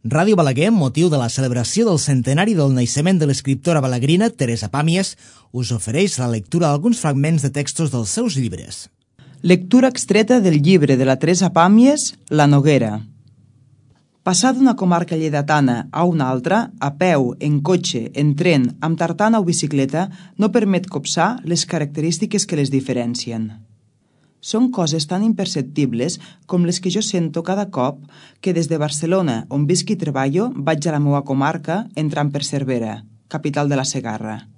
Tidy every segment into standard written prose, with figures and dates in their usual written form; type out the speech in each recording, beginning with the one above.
Ràdio Balaguer, amb motiu de la celebració del centenari del naixement de l'escriptora balaguerina Teresa Pàmies, us ofereix la lectura d'alguns fragments de textos dels seus llibres. Lectura extreta del llibre de la Teresa Pàmies, La Noguera. Passar d'una comarca lleidatana a una altra, a peu, en cotxe, en tren, amb tartana o bicicleta, no permet copsar les característiques que les diferencien. Són coses tan imperceptibles com les que jo sento cada cop que des de Barcelona, on visc i treballo, vaig a la meva comarca entrant per Cervera, capital de la Segarra.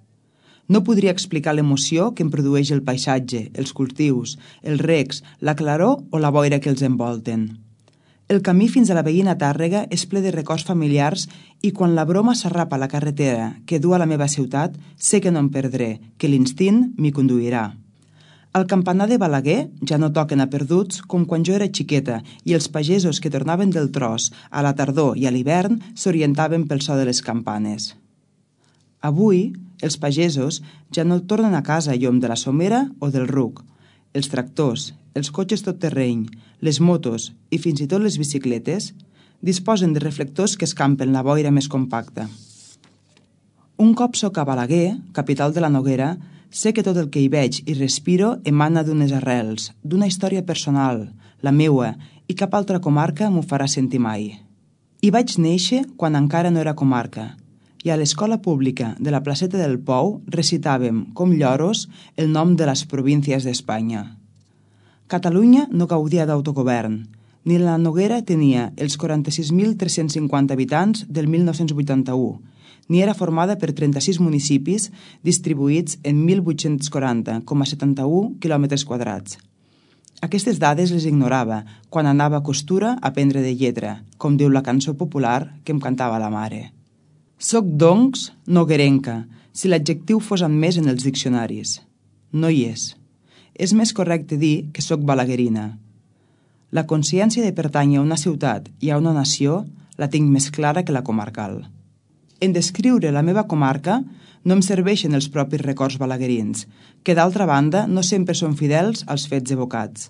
No podria explicar l'emoció que em produeix el paisatge, els cultius, els recs, la claror o la boira que els envolten. El camí fins a la veïna Tàrrega és ple de records familiars i quan la broma s'arrapa a la carretera que du a la meva ciutat, sé que no em perdré, que l'instint m'hi conduirà. Al campanar de Balaguer ja no toquen a perduts com quan jo era xiqueta i els pagesos que tornaven del tros a la tardor i a l'hivern s'orientaven pel so de les campanes. Avui, els pagesos ja no tornen a casa a llom de la somera o del ruc. Els tractors, els cotxes tot terreny, les motos i fins i tot les bicicletes disposen de reflectors que escampen la boira més compacta. Un cop soc a Balaguer, capital de la Noguera, sé que tot el que hi veig i respiro emana d'unes arrels, d'una història personal, la meua, i cap altra comarca m'ho farà sentir mai. Hi vaig néixer quan encara no era comarca, i a l'escola pública de la placeta del Pou recitàvem, com lloros, el nom de les províncies d'Espanya. Catalunya no gaudia d'autogovern, ni la Noguera tenia els 46.350 habitants del 1981, ni era formada per 36 municipis distribuïts en 1.840,71 km². Aquestes dades les ignorava quan anava a Costura a aprendre de lletra, com diu la cançó popular que em cantava la mare. Soc, doncs, noguerenca, si l'adjectiu fos admès en els diccionaris. No hi és. És més correcte dir que soc balaguerina. La consciència de pertànyer a una ciutat i a una nació la tinc més clara que la comarcal. En descriure la meva comarca no em serveixen els propis records balaguerins, que d'altra banda no sempre són fidels als fets evocats.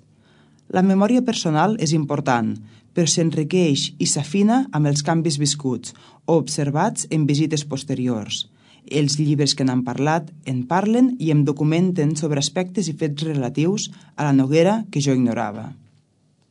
La memòria personal és important, però s'enriqueix i s'afina amb els canvis viscuts o observats en visites posteriors. Els llibres que n'han parlat en parlen i em documenten sobre aspectes i fets relatius a la Noguera que jo ignorava.